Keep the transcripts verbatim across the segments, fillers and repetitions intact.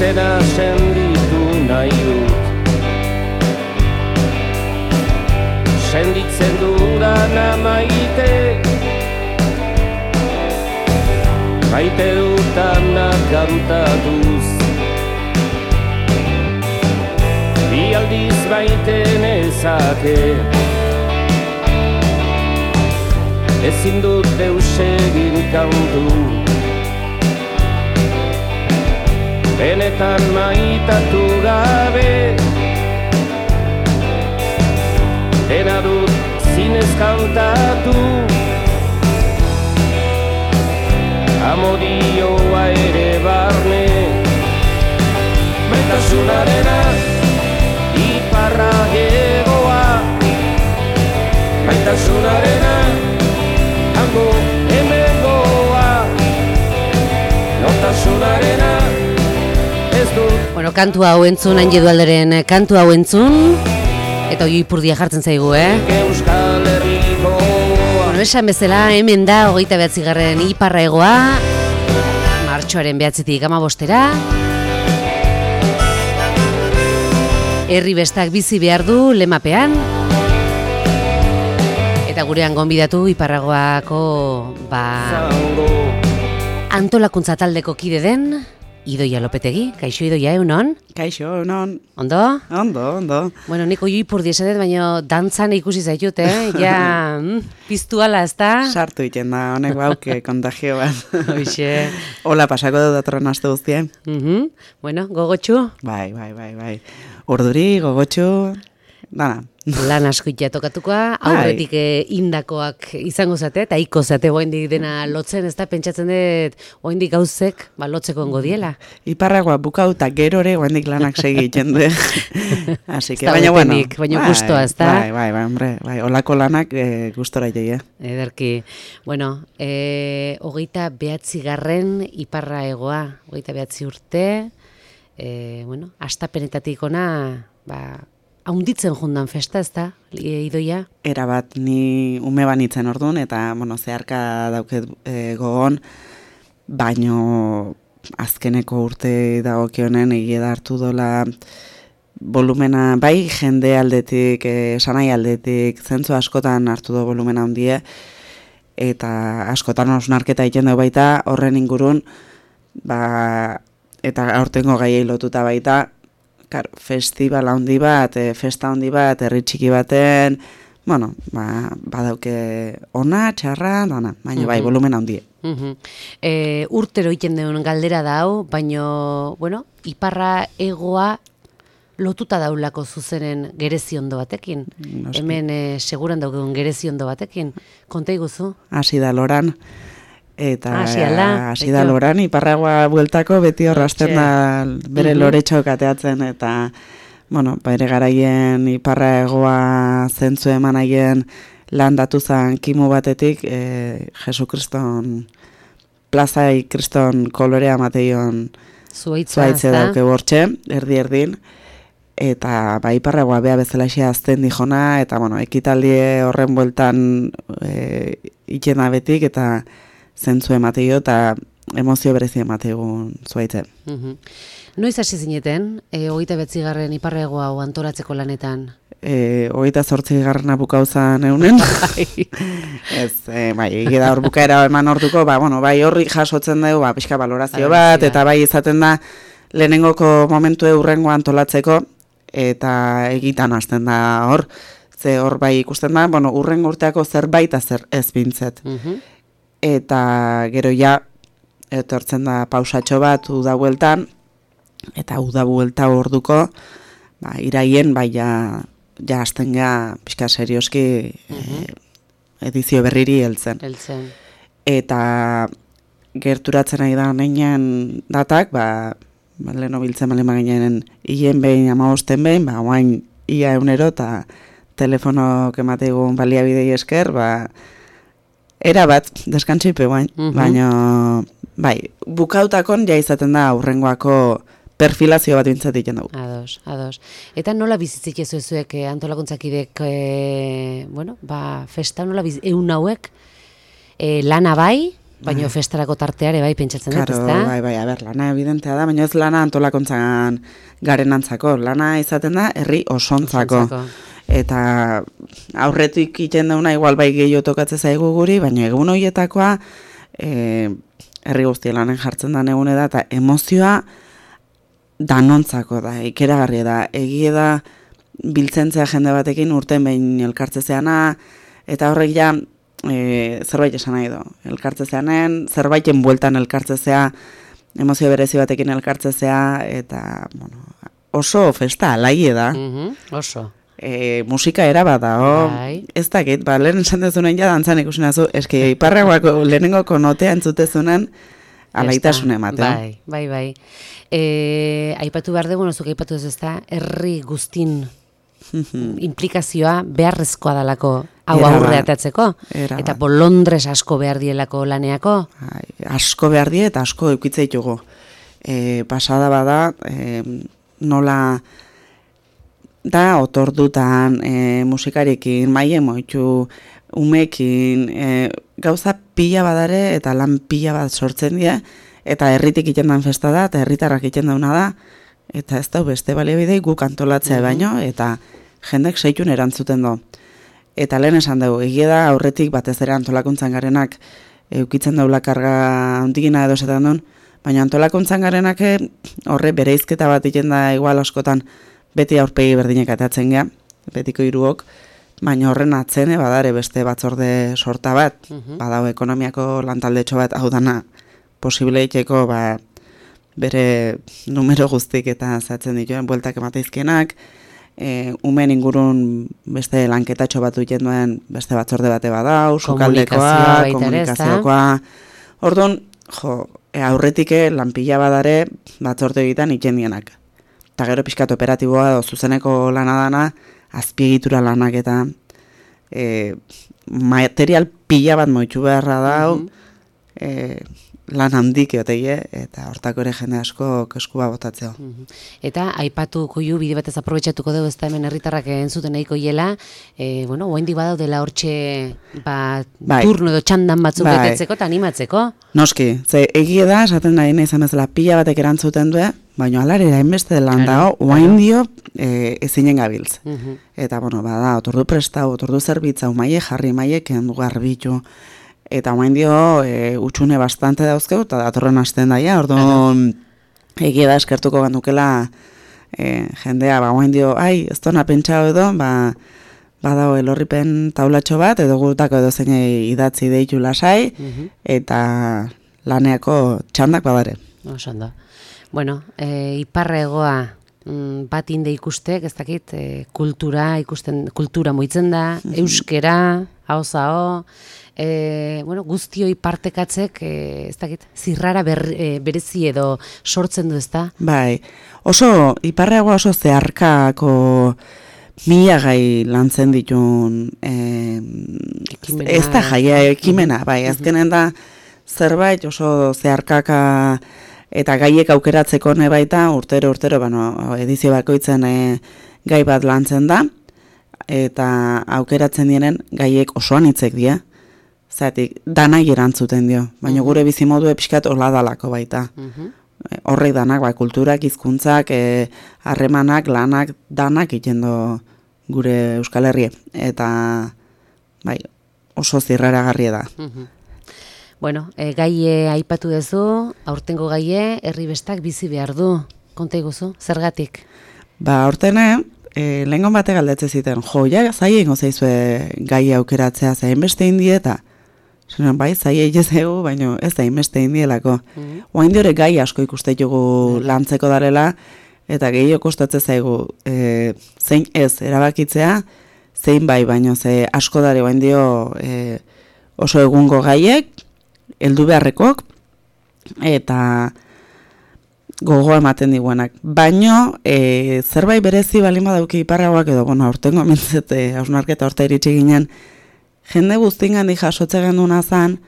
dena senditu nahi dut. Senditzen dudana maite, maite dutana kantatuz. Bi aldiz maite nezake, ezin dut deus egin kantu. Benetan maitatu gabe, dena dut zinez kantatu. Amodioa ere barne, maitasunarena iparra egoa, maitasunarena hango hemengoa, nortasunarena ez dut. Bueno, kantu hau entzun, hain jedualderen kantu hau entzun, eta oi ipurdia jartzen zaigu, eh? Euskal Herrikoa. Bueno, esan bezala, hemen da, hogeita behatzigarren iparra egoa, martxoaren behatzitik amabostera. Herri bestak bizi behar du lemapean. Eta gurean gonbidatu iparragoako ba, antolakuntza taldeko kide den Idoia Lopetegi. Kaixo Idoia, egunon? Kaixo, egunon. Ondo? Ondo, ondo. Bueno, nik oi ipurdi esanet, baina dantzan ikusi zaitut, eh? Ja, piztu ala, ez da? Sartu iten da, honek bauke kontagio bat. Hoxe. Hola, pasako dut datorren aste guztien. Uh -huh. Bueno, gogotxu? Bai, bai, bai, bai. Urduri, gogotxu, dana. Lan asko itea tokatukoa, aurretik eh, indakoak izango zate, eta iko zate oaindik dena lotzen, ez da, pentsatzen dut oaindik gauzek, ba, lotzeko ongo diela. Iparragoa bukauta gerore oaindik lanak segi egiten du. Así que, baina, bueno, baina gustoa, ez da? Bai, bai, bai, hombre, bai, olako lanak eh, gustora joi, eh? Ederki. Bueno, eh, hogeita behatzi garren iparra egoa, hogeita behatzi urte, eh, bueno, astapenetatik ona, ba, haunditzen jundan festa, ez da, Idoia? Era bat, ni ume banitzen orduan, eta, bueno, zeharka dauket e, gogon, baino azkeneko urte dagokionen egia da hartu dola volumena, bai jende aldetik, e, sanai aldetik, zentzu askotan hartu do volumena handie, eta askotan osnarketa egiten dugu baita, horren ingurun, ba, eta aurtengo gaiei lotuta baita, Karo, festival handi bat, e, festa handi bat, herri txiki baten, bueno, ba, badauke ona, txarra, dana, baina bai, volumen handie. Uh -huh. e, urtero iten duen galdera da hau, baina, bueno, iparra egoa lotuta daulako zuzenen gereziondo batekin. Noski. Hemen e, seguran daukegun gereziondo batekin. Konta iguzu? Hasi da loran. Eta hasi da Beto. loran, iparragoa bueltako beti horrazten da bere Mhm. loretxo kateatzen, eta, bueno, bere garaien iparra egoa zentzu eman aien lan datu zan kimu batetik, e, Jesu Kriston, plazai Kriston kolorea mateion zuaitze dauke bortxe, erdi-erdin, eta ba, iparra egoa beha bezalaxea azten dijona, eta, bueno, ekitaldi horren bueltan e, ikena betik, eta zentzu emateio eta emozio berezi emategun zuaitzen. Uh -huh. Noiz hasi zineten, e, hogeita betzigarren iparregoa hau antolatzeko lanetan? E, hogeita zortzi garrana bukauzan eunen. Ez, e, bai, egida hor bukaera eman orduko, ba, bueno, bai horri jasotzen dugu, ba, pixka valorazio bat, eta bai izaten da lehenengoko momentu eurrengo antolatzeko, eta egitan hasten da hor, ze hor bai ikusten da, bueno, urrengo urteako zerbait zer ez bintzet. Uh -huh. Eta gero ja, etortzen da pausatxo bat uda bueltan, eta uda buelta orduko, ba, iraien, bai ja, ja azten ga, pixka serioski, uh-huh. e, edizio berriri heltzen. Heltzen. Eta gerturatzen ari da neinean datak, ba, ba leheno biltzen bale maginen hien behin, amabosten behin, ba, oain ia eunero, eta telefonok emategun baliabidei esker, ba, era bat, deskantzipe guain, uh-huh. baina, bai, bukautakon ja izaten da aurrengoako perfilazio bat bintzatik dugu. Ados, ados. Eta nola bizitzik ez zuek eh, antolakuntzakidek, eh, bueno, ba, festa nola biz, eun hauek, eh, lana bai, Baina festarako tarteare bai pentsatzen dut, Claro, ezta? bai, bai, a ber, lana evidentea da, baina ez lana antolakuntzan garenantzako, lana izaten da herri osontzako. Osontzako. Eta aurretik iten dauna igual bai gehiago tokatze zaigu guri, baina egun horietakoa e, herri guztia lanen jartzen da egune da, eta emozioa danontzako da, ikeragarria da, egie da biltzentzea jende batekin urten behin elkartzezeana, eta horrek ja e, zerbait esan nahi do. Elkartzezeanen, zerbaiten bueltan elkartzezea, emozio berezi batekin elkartzezea, eta bueno, oso festa alaie da. Mhm, oso. E, musika era bat da, oh, Bai. ez dakit, ba, lehen esan dezunen ja dantzan ikusi nazu, eski iparragoako lehenengo konotea entzutezunen alaitasune emate. Bai, bai, bai. E, aipatu behar dugu, zuk aipatu ez ezta, herri guztin implikazioa beharrezkoa dalako hau Era aurre bat, atatzeko. era Eta bat. bolondres asko behar dielako laneako. Ai, asko behar die eta asko eukitza ditugu. E, pasada bada, e, nola da otordutan, e, musikarekin, maie moitu, umekin, e, gauza pila badare eta lan pila bat sortzen dira, eta herritik iten dan festa da, eta herritarrak iten dauna da, eta ez da beste baliabidei guk antolatzea baino, eta jendek seitun erantzuten do. Eta lehen esan dugu, egia da aurretik batez ere antolakuntzan garenak eukitzen daula karga handigina edo esaten duen, baina antolakuntzan garenak horre bereizketa bat iten da igual askotan beti aurpegi berdinek atatzen gea, betiko hiruok, baina horren atzene badare beste batzorde sorta bat, badau ekonomiako lantaldetxo bat, hau dana posible iteko ba, bere numero guztik eta zatzen dituen bueltak emateizkenak, e, umen ingurun beste lanketatxo bat duten duen beste batzorde bate badau, sukaldekoa, komunikaziokoa. Orduan, jo, e, aurretik lanpila badare batzorde egiten ikendienak. Eta gero pixkat operatiboa edo zuzeneko lana dana, azpiegitura lanak eta e, material pila bat moitxu beharra dau, mm -hmm. e, lan handik eoteie, eta hortako ere jende asko keskua botatzeo. Eta aipatuko ju, bide batez aprobetxatuko dugu, ez da hemen herritarrak entzuten nahiko hiela, e, bueno, oendik badaudela hortxe ba, bai. turno edo txandan batzuk bai. betetzeko eta animatzeko. Noski, ze egie da, esaten nahi nahi izan bezala pila batek erantzuten du, baina alarera hainbeste lan dago, oain dio e, ezinen gabiltz. Uh -huh. Eta, bueno, bada, otordu prestau, otordu zerbitza, maie jarri, maie kendu garbitu, eta oain dio e, utxune bastante dauzkeu, eta datorren hasten daia, orduan egie da eskertuko gandukela e, jendea, ba, oain dio, ai, ez dona pentsau edo, ba, badao elorripen taulatxo bat, edo gutako edo zeinei idatzi deitu lasai, uh -huh. eta laneako txandak badare. Osan da. Bueno, e, iparra egoa mm, bat inde ikustek, ez dakit, e, kultura, ikusten, kultura moitzen da, uh -huh. euskera, hau-zao, e, bueno, guztioi partekatzek, e, ez dakit, zirrara ber, e, berezi edo sortzen du, ez da? Bai, oso, iparra egoa oso zeharkako mila gai lantzen ditun e, ez da jaia ekimena, bai, azkenen da zerbait oso zeharkaka eta gaiek aukeratzeko ne baita urtero urtero bueno, edizio bakoitzen e, gai bat lantzen da eta aukeratzen dienen gaiek osoan hitzek dira. Zatik danai erantzuten dio, baina gure bizimodu epixkat hola dalako baita. Horrek danak, bai, kulturak, hizkuntzak, harremanak, lanak, danak itendo gure Euskal Herrie. Eta bai, oso zirraragarria da. Bueno, e, gaie aipatu duzu, aurtengo gaie, herri bestak bizi behar du. Konta iguzu, zergatik? Ba, aurtene, e, lehengon bate galdetze ziten, jo, ja, zai ingo zaizue gaie aukeratzea zain beste indieta. Zeran, bai, zai egez egu, baina ez da inbeste indielako. Mm -hmm. Oain diore gai asko ikustetugu lantzeko darela, eta gehiago kostatze zaigu e, zein ez erabakitzea, zein bai, baina ze asko dare oain dio e, oso egungo gaiek, heldu beharrekok, eta gogoa ematen diguenak. Baino, e, zerbait berezi balima dauki iparragoak edo, bueno, aurtengo mentzete, hausnarketa horta iritsi ginen, jende guztingan di jasotze genduna zan,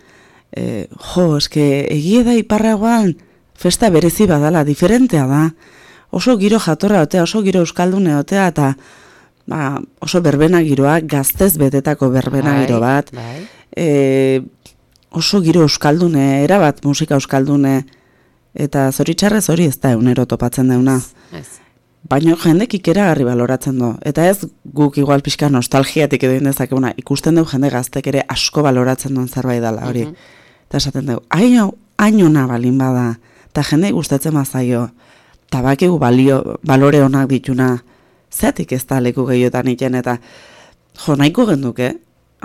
e, jo, eske egie da iparragoan festa berezi badala, diferentea da. Oso giro jatorra otea, oso giro euskaldune otea, eta ba, oso berbena giroa, gaztez betetako berbena bai, giro bat. Bai. E, oso giro euskaldune, erabat musika euskaldune, eta zoritxarrez hori ez da eunero topatzen deuna. Ez. Baina jendek ikeragarri baloratzen du. Eta ez guk igual pixka nostalgiatik edo indezakeguna, ikusten dugu jende gaztek ere asko baloratzen duen zerbait dela hori. Mhm. Eta esaten dugu, haino, hainona balin bada, eta jende gustatzen bazaio, eta bakigu balio, balore onak dituna, zeatik ez da leku gehiotan iten, eta jo, nahiko genduke,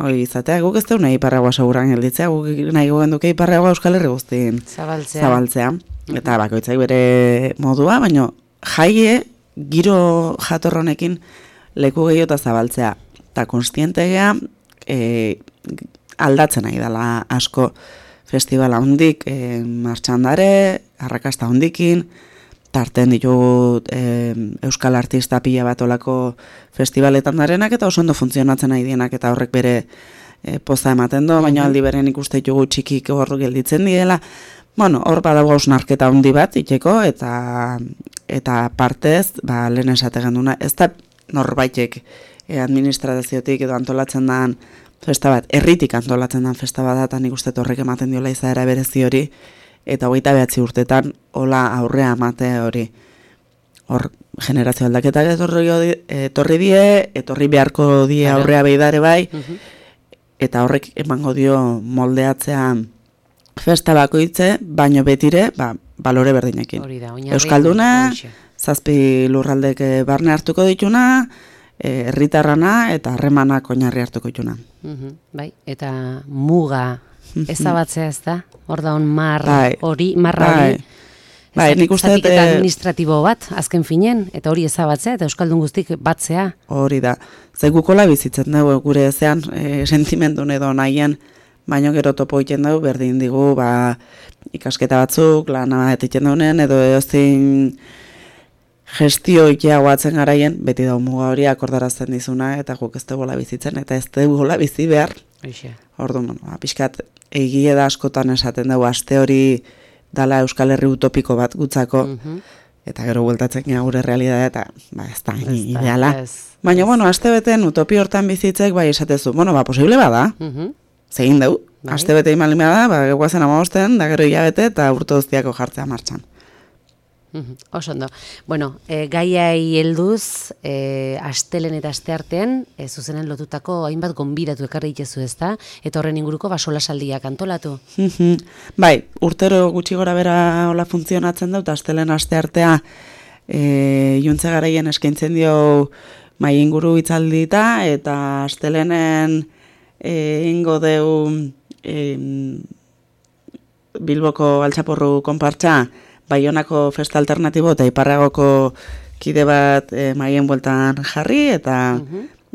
hori izatea, guk ez dugu nahi Iparragua seguran gelditzea, guk nahiko genduke Iparragua Euskal Herri guztien Zabaltzea. zabaltzea. Eta bakoitzak bere modua, baina jaie giro jatorronekin leku gehiota zabaltzea. Eta konstientegea e, aldatzen nahi dela asko festivala hondik, e, martxandare, arrakasta hondikin, tarten ditugu e, euskal artista pila bat olako festivaletan darenak eta oso ondo funtzionatzen nahi dienak eta horrek bere e, poza ematen du, baina aldi beren ikuste ditugu txikik hor gelditzen direla. Bueno, hor badago hausnarketa handi bat itxeko eta eta partez, ba, lehen esate genduna, ez da norbaitek e, administraziotik edo antolatzen dan festa bat, herritik antolatzen dan festa bat da, eta nik uste horrek ematen diola izaera berezi hori, eta hogeita behatzi urtetan hola aurrea amate hori. Hor, generazio aldaketak etorri, etorri die, etorri beharko die aurrea beidare bai, eta horrek emango dio moldeatzea festa bakoitze, baino betire, ba, balore berdinekin. Hori da, oinarri. Euskalduna, zazpi lurraldek barne hartuko dituna, herritarrana eta harremanak oinarri hartuko dituna. Mhm, bai, eta muga ezabatzea ez da? Hor da hon mar Bai. hori, marra Bai. hori. Bai, nik uste dut, Zatiketa eh, administratibo bat, azken finen, eta hori ezabatzea, eta euskaldun guztik batzea. Hori da. Ze gukola bizitzen dugu gure ezean, e, sentimentun edo nahien, baino gero topo egiten dugu, berdin digu, ba, ikasketa batzuk, lana bat egiten dugunen, edo ezin gestio itea guatzen garaien, beti da muga hori akordarazten dizuna, eta guk ez dugu bizitzen, eta ez dugu bizi behar. Eixe. Orduan, bueno, ba, pixkat, egie da askotan esaten dugu, aste hori dala Euskal Herri utopiko bat gutzako, Mhm. eta gero bueltatzen gara gure realitatea, eta ba, ez da, Ez da, ideala. ez, Baina, ez. bueno, aste beten utopi hortan bizitzek, bai esatezu, bueno, ba, posible bada, Mhm. zegin dugu, Bai. aste bete imalin bada, ba, guazen amabosten, da gero hilabete, eta urte guztiako jartzea martxan. Mhm, oso ondo. Bueno, e, gaiai helduz, e, astelen eta asteartean, e, zuzenen lotutako hainbat gonbidatu ekarri ditezu ezta, eta horren inguruko basolasaldiak antolatu. Mhm. Bai, urtero gutxi gora bera hola funtzionatzen dut, astelen asteartea e, juntze garaien eskaintzen dio mai inguru hitzaldita, eta astelenen e, ingo deu e, Bilboko altxaporru konpartxa, Baionako festa alternatibo eta Iparragoko kide bat e, maien bueltan jarri, eta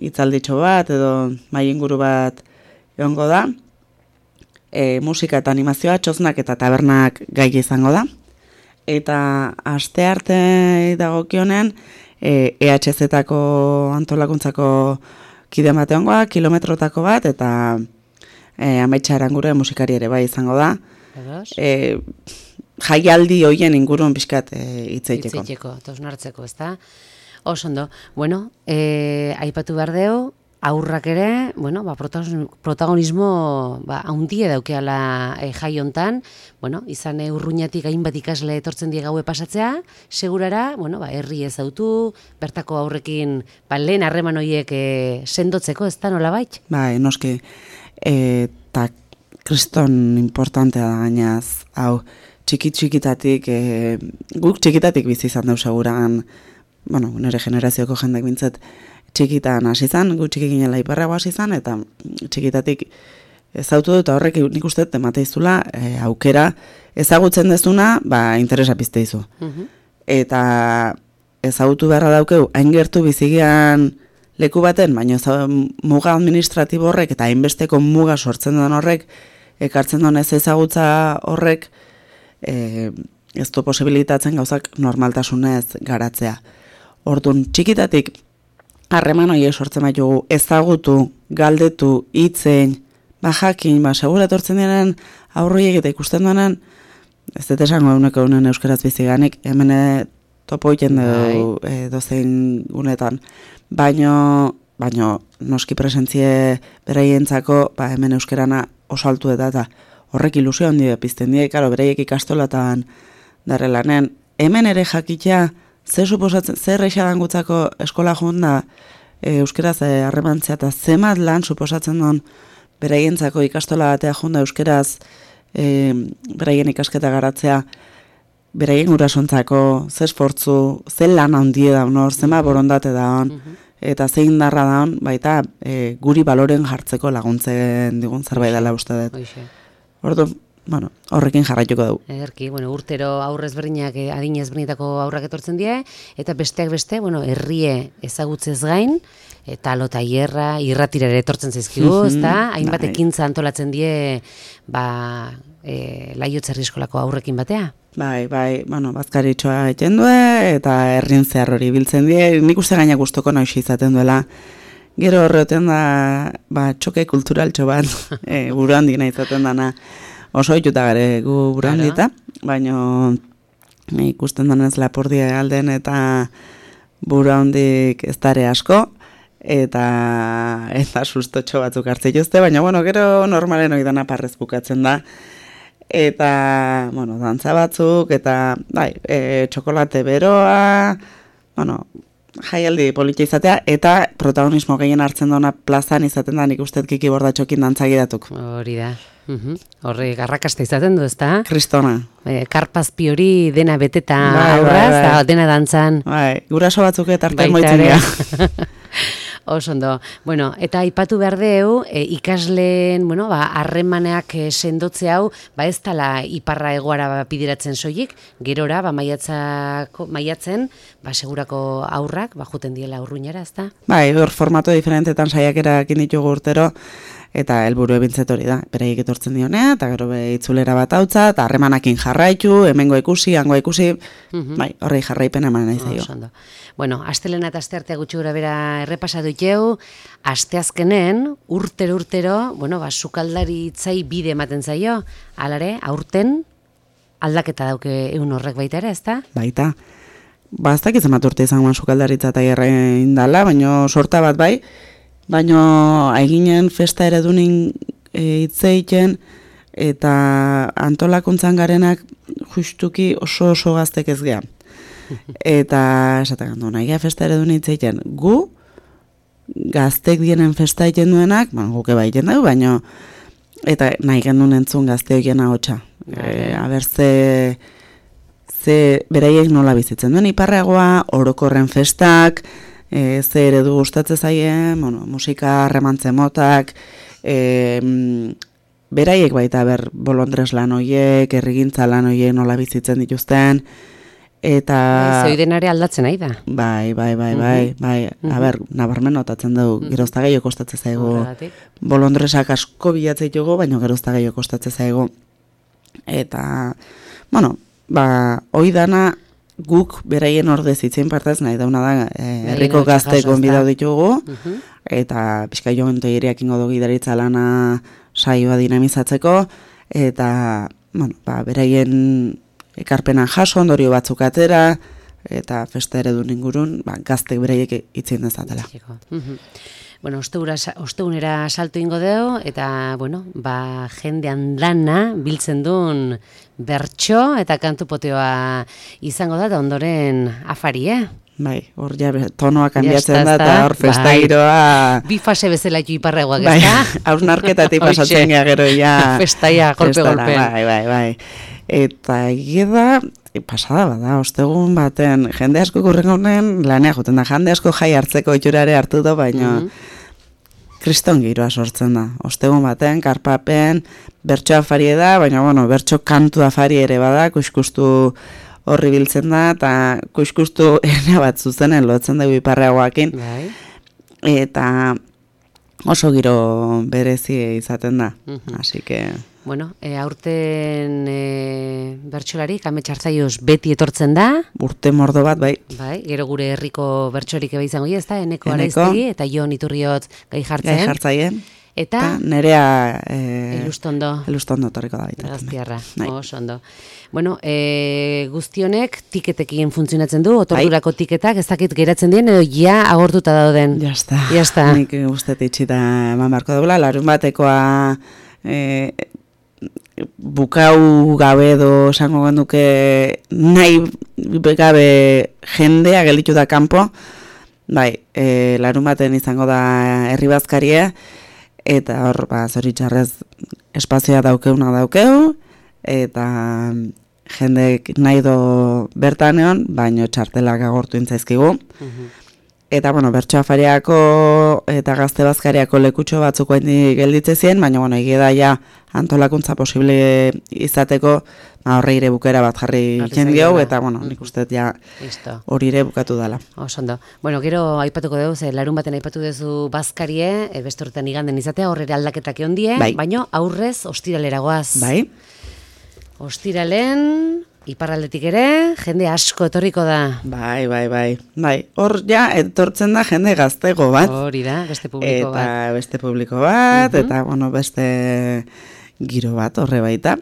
hitzalditxo bat edo mai inguru bat egongo da. E, musika eta animazioa, txoznak eta tabernak gai izango da. Eta astearte dagokionen e, E H Z-tako antolakuntzako kide bat egongoa, kilometrotako bat, eta e, Amaitxa Arangure musikari ere bai izango da. Edos? E, jaialdi hoien inguruen pixkat e, hitzeiteko. Hitzeiteko, eta osnartzeko, ezta? Oso ondo. Bueno, e, aipatu behar deu, aurrak ere, bueno, ba, protagonismo ba, haundie daukeala e, jai hontan, bueno, izan e, urruñatik hainbat ikasle etortzen die gaue pasatzea, segurara, bueno, ba, herri ezautu, bertako aurrekin, ba, lehen harreman horiek e, sendotzeko, ez da nola bait? Bai, noski, eta kriston importantea da gainaz, hau, txikit-txikitatik, e, guk txikitatik bizi izan dau seguran, bueno, nire generazioko jendek bintzat txikitan hasi izan, gu txiki ginela Iparrago hasi izan, eta txikitatik ezautu dut, horrek nik uste temate izula, e, aukera ezagutzen dezuna, ba, interesa pizte izu. Mhm. Eta ezagutu beharra daukeu, hain gertu bizigian leku baten, baina eza, muga administratibo horrek, eta hainbesteko muga sortzen den horrek, ekartzen duen ez ezagutza horrek, e, ez du posibilitatzen gauzak normaltasunez garatzea. Orduan, txikitatik, harreman horiek sortzen baitugu, ezagutu, galdetu, hitzein, ba jakin, ba segura etortzen diren aurroiek eta ikusten duenan, ez dut esango eguneko unen euskaraz biziganik, hemen topo egiten dugu e, dozein gunetan, baino, baino noski presentzie beraientzako, ba hemen euskerana oso altu eta eta horrek ilusio handi pizten die, karo, beraiek ikastolatan darrelanen. Hemen ere jakitea, zer suposatzen, zer eixadan gutzako eskola jonda, e, euskeraz harremantzea eta zemat lan suposatzen duen beraientzako ikastola batea jonda euskeraz e, beraien ikasketa garatzea, beraien gurasontzako, ze esfortzu, ze lan handie da honor, zema borondate da hon, eta zein darra da hon, baita e, guri baloren jartzeko laguntzen digun zerbait dela uste dut. Ordu, bueno, horrekin jarraituko dugu. Ederki, bueno, urtero aurrez berdinak, adin ezberdinetako aurrak etortzen die, eta besteak beste, bueno, herrie ezagutzez gain, eta lota hierra, irratira ere etortzen zaizkigu, ezta? Hainbat ekintza antolatzen die, ba, e, Laiotz Herri-eskolako aurrekin batea. Bai, bai, bueno, bazkaritxoa egiten du, eta herrin zehar hori biltzen die, nik uste gaina gustoko noiz izaten duela. Gero horreten da, ba, txoke kulturaltxo bat, e, buru handik nahi izaten dana, oso ituta gare gu buru handita, baina ikusten denez Lapurdia alden eta buru handik ez dare asko, eta eta sustotxo batzuk hartzen jozte, baina bueno, gero normalen hori dana parrez bukatzen da, eta, bueno, dantza batzuk, eta, bai, e, txokolate beroa, bueno, jaialdi politia izatea, eta protagonismo gehien hartzen dona plazan izaten da, nik uste Kiki Bordatxokin dantzagidatuk. Hori da. Uhum. Horre garrakasta izaten du, ezta? Kristona. E, karpazpi hori dena beteta bai, aurraz, bai, bai. dena dantzan. Bai, guraso batzuk eta artean moitzen dira. Oso ondo. Bueno, eta aipatu behar deu, e, ikasleen, bueno, ba, harremaneak e, sendotze hau, ba ez tala iparra egoara bideratzen soilik, gerora, ba maiatzako, maiatzen, ba segurako aurrak, ba juten diela urruñara, ezta? Bai, hor formato diferentetan saiakerak ditugu urtero, eta helburu ebintzet hori da, beraiek etortzen dionea, eta gero be itzulera bat hautza, eta harremanakin jarraitu, hemengo ikusi, hango ikusi, uh-huh. bai, horrei jarraipen eman nahi zaio. Oh, bueno, astelena eta asteartea gutxi gura bera errepasatu itxeu, asteazkenen, urtero urtero, bueno, ba, sukaldari itzai bide ematen zaio, alare, aurten, aldaketa dauke egun horrek baita ere, ezta? Baita, ba, ez dakitzen bat urte izan sukaldaritza eta gerrein dala, baina sorta bat bai, baina aiginen festa eredunin e, itzeiten eta antolakuntzan garenak justuki oso oso gaztek ez geha. Eta esatak handu, nahi festa eredunin itzeiten gu, gaztek dienen festa egiten duenak, ba, guke bai egiten dugu, baina eta nahi gendun entzun gazte horiena hotxa. E, aber ze, ze beraiek nola bizitzen duen iparreagoa, orokorren festak, E, ze eredu gustatzen zaien, bueno, musika remantzen motak, e, beraiek baita ber bolondres lan hoiek, herrigintza lan hoiek nola bizitzen dituzten, eta... Zoidenare aldatzen nahi da. Bai, bai, bai, bai, bai, mm-hmm. a ber, nabarmen notatzen dugu, mm-hmm. gerozta gehiago kostatzen zaigu, bolondresak asko bilatzen dugu, baina gerozta gehiago kostatzen zaigu, eta, bueno, ba, hoi dana, guk beraien ordez itzen partaz nahi dauna da herriko gazte gonbidau ditugu, uh-huh. eta pixka joan toieriak ingo dugu gidaritza lana saioa dinamizatzeko, eta bueno, ba, beraien ekarpenan jaso, ondorio batzuk atera, eta festa eredun ingurun ba, gaztek beraiek itzen dezatela. Uh-huh. Bueno, ostegunera salto ingo deo, eta, bueno, ba, jendean dana biltzen duen bertso eta kantu poteoa izango da, eta ondoren afari, eh? Bai, hor ja tonoa kanbiatzen da, eta hor festa giroa... Bi fase bezala ju iparregoak, bai, ez da? hausnarketatik pasatzen gea gero, ja... Festaia, golpe-golpe. Bai, bai, bai. Eta egia pasada bada, ostegun baten, jende asko kurrengo honen lanea juten da, jende asko jai hartzeko itxurare hartu da, baina mm-hmm. kriston giroa sortzen da. Ostegun baten, karpapen, bertso afari da, baina bueno, bertso kantu afari ere bada, kuskustu horri biltzen da, eta kuskustu ene bat zuzenen lotzen dugu iparreagoakin. Bai. Eta oso giro berezi izaten da, mm-hmm. así que... Bueno, e, aurten e, bertsolari, kametxartzaioz beti etortzen da. Urte mordo bat, bai. Bai, gero gure herriko bertsorik eba izango ez da, Eneko Araiztegi eta Jon Iturriot gai jartzen. Gai jartzaien. Eta, eta nerea... E, Elustondo. Elustondo torriko da baita. Gaztiarra, oso ondo. Bueno, e, guztionek tiketekin funtzionatzen du, otordurako tiketak, ez dakit geratzen dien, edo ja agortuta dauden. Jasta. Jasta. Nik uste itxita eman barko dugula, larun batekoa... E, bukau gabe edo esango genuke nahi gabe jendea gelditu da kanpo, bai, e, larun baten izango da herri bazkaria, eta hor, ba, zoritxarrez espazioa daukeuna daukeu, eta jendek nahi do bertan egon, baino txartelak agortu intzaizkigu. Uh-huh. Eta, bueno, bertsoafariako eta gazte bazkariako lekutxo batzuk hain gelditze ziren, baina, bueno, egia da ja antolakuntza posible izateko, ba, horre ire bukera bat jarri jendiau, eta, bueno, nik uste ja hori ire bukatu dela. Osondo. Bueno, gero aipatuko dugu, ze larun baten aipatu duzu bazkarie, e, beste horretan iganden izatea, horre aldaketak egon die, bai. Baina aurrez ostiralera goaz. Bai. Ostiralen... Iparraldetik ere, jende asko etorriko da. Bai, bai, bai. Bai, hor ja etortzen da jende gaztego bat. Hori da, beste publiko eta bat. Eta beste publiko bat, uh-huh. Eta, bueno, beste giro bat horre baita.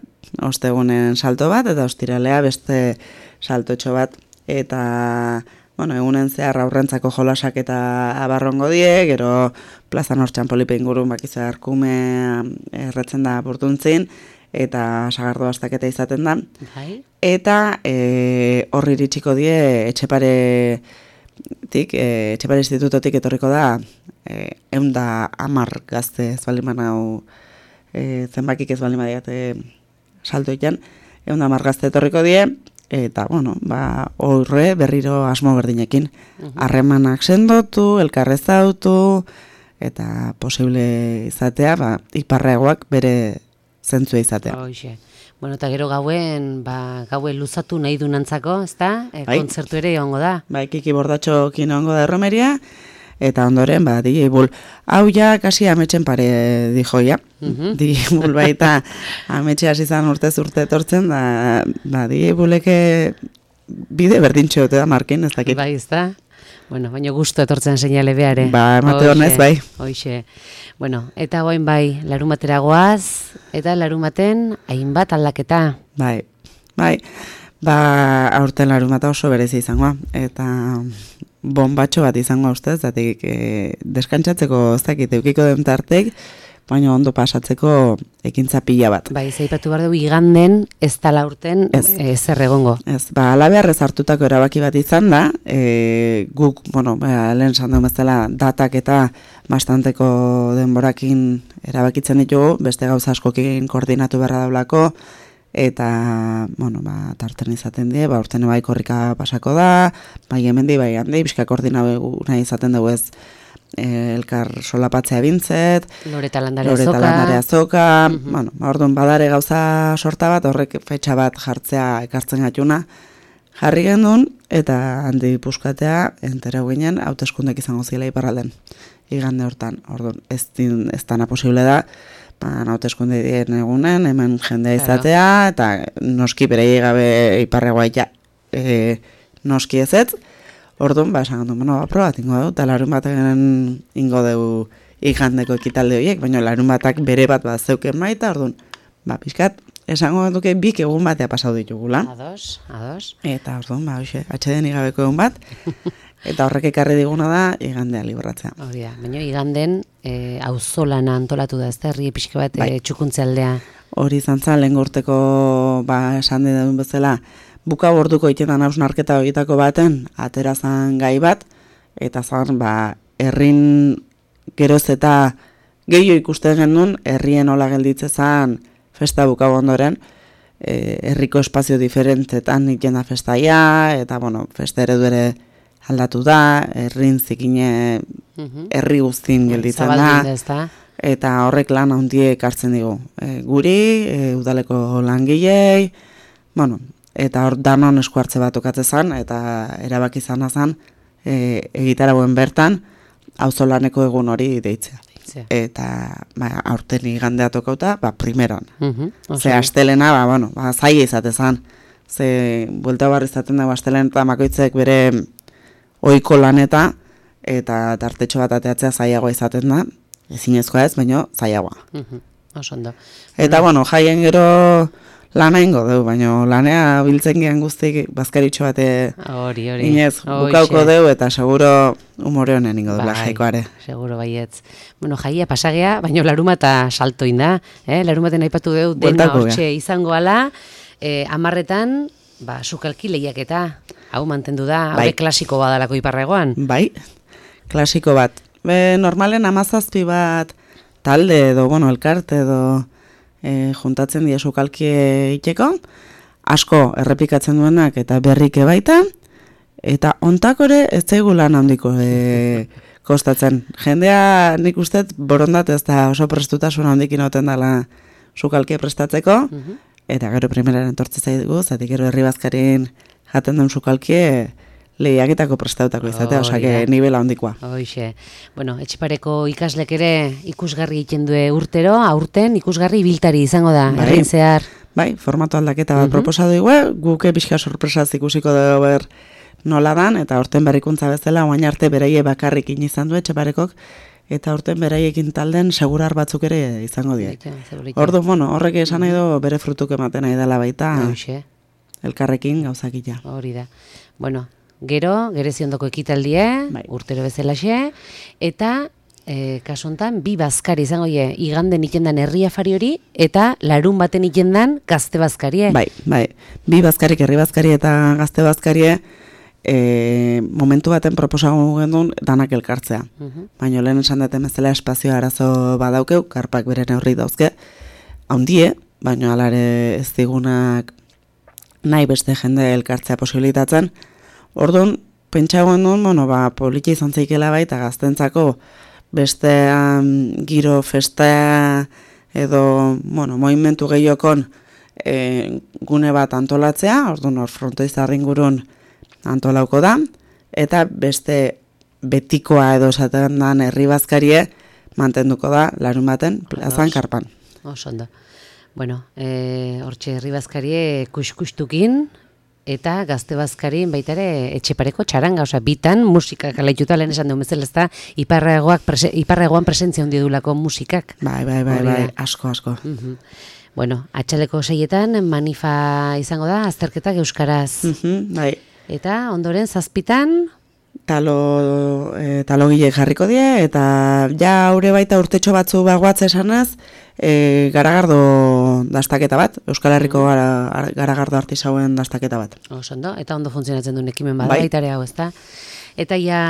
Ostegunen salto bat, eta ostiralea beste saltotxo bat. Eta, bueno, egunen zehar aurrentzako jolasak eta abarrongo die, gero plazan hortxan polipe ingurun bakizu arkume erretzen da burtuntzin, eta sagardo bastaketa izaten da. Bai. Eta e, horri iritsiko die etxeparetik, e, etxepare institutotik etorriko da e, eunda amar gazte ez bali manau e, zenbakik ez bali madiat e, saltoitan, eunda amar gazte etorriko die, eta, bueno, ba, horre berriro asmo berdinekin. Harremanak uh-huh. sendotu, elkarrezautu, eta posible izatea, ba, iparreagoak bere zentzua izatea. Hoxe. Bueno, eta gero gauen, ba, gauen luzatu nahi dunantzako, ezta? E, bai. Kontzertu ere egongo da. Bai, Kiki Bordatxo kino egongo da erromeria, eta ondoren, ba, D J Bull. Hau ja, kasi ametxen pare dijo, ja. Uh-huh. D J Bull baita ametxe hasi zan urtez urte etortzen, da, ba, D J Bulleke bide berdintxo dute da markin, ez dakit. Bai, ezta? Bueno, baina gustu etortzen seinale beare. Ba, emate honez, bai. Hoxe. Bueno, eta goain bai, larun batera goaz, eta larun baten hainbat aldaketa. Bai, bai. Ba, aurten larun bata oso berezi izangoa. Eta bombatxo bat izangoa ustez, zatik e, deskantzatzeko ez dakit eukiko den tartek, baina ondo pasatzeko ekintza pila bat. Bai, zaipatu behar dugu iganden ez tala urten zer egongo. Ez, ba, alabeharrez hartutako erabaki bat izan da, e, guk, bueno, ba, lehen sandu bezala datak eta bastanteko denborakin erabakitzen ditugu, beste gauza askokin koordinatu beharra daulako, eta, bueno, ba, tarten izaten die, ba, urten bai korrika pasako da, bai hemendi, bai handi, bizka koordinatu nahi izaten dugu ez, elkar solapatzea bintzet, Loreta Landare Loreta Azoka, Landare Azoka, uh-huh. Bueno, orduan badare gauza sorta bat, horrek fetxa bat jartzea ekartzen gatuna, jarri gendun, eta handi puskatea, entere ginen, hauteskundek izango zila iparralden, igande hortan, orduan, ez, din, ez dana posible da, ba, hauteskunde dien egunen, hemen jendea izatea, claro. Eta noski bere gabe iparregoa ja, e, noski ezetz, orduan, ba, esan gondun, bueno, aprobat ingo dugu, eta larun baten ingo dugu igandeko ekitalde horiek, baina larun batak bere bat bat zeuken baita, orduan, ba, pixkat, esango duke bik egun batea pasau ditugula. Ados, ados. Eta orduan, ba, hoxe, atxeden igabeko egun bat, eta horrek ekarri diguna da, igandea libratzea. Hori da, baina iganden, e, auzolana antolatu da, ez da, herri pixke bat bai. E, txukuntze aldea. Hori izan zan, lehen gorteko, ba, esan duen bezala, buka orduko itetan hausnarketa egitako baten, aterazan gai bat, eta zan, ba, herrin geroz eta gehiago ikusten genuen, herrien hola gelditze zan festa buka ondoren, e, herriko espazio diferentetan iten da festaia, eta, bueno, festa eredu ere aldatu da, herrin zikine herri guztin gelditzen da, eta horrek lan handiek hartzen digu. E, guri, e, udaleko langilei, bueno, eta hor danon esku hartze bat okatze zan, eta erabaki zan azan, e, egitaragoen bertan, auzolaneko egun hori deitzea. Eta ba, aurten igandea tokauta, ba, primeron. Uh-huh, ze astelena, ba, bueno, ba, zaila izate zan. Ze buelta barri izaten dago astelen eta makoitzek bere ohiko laneta, eta tartetxo bat ateatzea zailagoa izaten da, ezinezkoa ez, baina zailagoa. Uh-huh, oso ondo. Eta, bueno, jaien gero lana ingo dugu, baina lanea biltzen gehan guztik bazkaritxo bate hori, hori. inez bukauko dugu eta seguro humore honen ingo dugu jaikoare. Seguro baietz. Bueno, jaia pasagea, baina laruma eta saltoin da. Eh? Larumaten aipatu dugu dena hortxe izango ala, eh, amarretan, ba, sukalki lehiaketa, hau mantendu da, hau bai. Klasiko badalako Iparregoan. Bai, klasiko bat. Be, normalen amazazpi bat talde edo, bueno, elkarte edo e, juntatzen dira sukalki iteko, asko errepikatzen duenak eta berrike baita, eta ontakore ez zaigu lan handiko e, kostatzen. Jendea nik uste borondat ez da oso prestutasun handikin oten dela sukalkia prestatzeko, uh-huh. Eta gero primeraren tortze zaigu, zatik gero herri bazkarin jaten duen sukalkie lehiaketako prestautako izatea, oh, osake yeah. Nivela handikoa. Hoixe. Bueno, Etxepareko ikaslek ere ikusgarri egiten du urtero, aurten ikusgarri ibiltari izango da, bai. Herrin zehar. Bai, formatu aldaketa bat uh-huh. proposatu dugu, guke pixka sorpresaz ikusiko dugu ber nola dan, eta aurten berrikuntza bezala, oain arte beraie bakarrik izan du Etxeparekok, eta aurten beraiekin talden segurar batzuk ere izango die. Ordu, bueno, horrek esan nahi du bere frutuk ematen nahi dela baita, Hoxe. Elkarrekin gauzakila. Hori da. Bueno, gero, gereziondoko ekitaldie, bai. Urtero bezalaxe, eta e, kasontan bi bazkari izango die, iganden itendan herria fari hori, eta larun baten itendan gazte bazkarie. Bai, bai, bi bazkarik herri bazkari eta gazte bazkarie, E, momentu baten proposago gendun danak elkartzea. Uh-huh. Baina lehen esan duten bezala espazio arazo badaukeu, karpak bere neurri dauzke, haundie, baina alare ez digunak nahi beste jende elkartzea posibilitatzen. Orduan, pentsago gendun, bueno, ba, politia izan zeikela baita gaztentzako beste um, giro festa edo, bueno, movimentu gehiokon e, gune bat antolatzea, orduan hor frontoizarrin gurun antolauko da, eta beste betikoa edo esaten dan herri bazkarie mantenduko da larun baten plazan karpan. Osondo. Bueno, e, hortxe herri bazkarie kuskustukin eta gazte bazkarien baita ere Etxepareko txaranga, osea, bitan musikak alaituta lehen esan dugu bezala, ez da Iparregoak prese, Iparregoan presentzia hundi dulako musikak. Bai, bai, bai, bai, asko, asko. Uh-huh. Bueno, atxaleko seietan manifa izango da, azterketak euskaraz. Uh-huh, bai. Eta ondoren zazpitan? Talo, e, talogile jarriko die, eta ja aurre baita urtetxo batzu bagoatze esanaz, e, garagardo dastaketa bat, Euskal Herriko gara, garagardo artisauen dastaketa bat. Osondo, eta ondo funtzionatzen duen ekimen bada, bai. Baitare hau, ezta? Eta ja,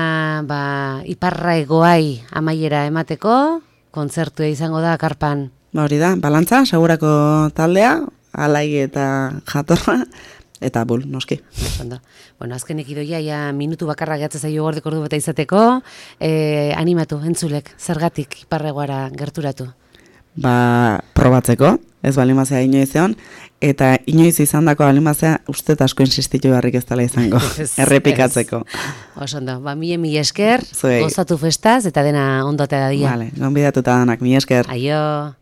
ba, Iparregoai amaiera emateko, kontzertua izango da, karpan. Ba hori da, balantza, segurako taldea, alai eta jatorra, eta bul, noski. Ondo. Bueno, azkenek idoia, ja, minutu bakarra gehatzen zaio gordeko ordu bata izateko, eh, animatu, entzulek, zergatik Iparregoara gerturatu? Ba, probatzeko, ez balimazea inoizean, eta inoiz izan dako balimazea uste asko insistitu beharrik ez dela izango, errepikatzeko. Osondo, ba, mile mila esker, gozatu festaz, eta dena ondotea da dia. Vale, gonbidatuta danak, mila esker. Aio.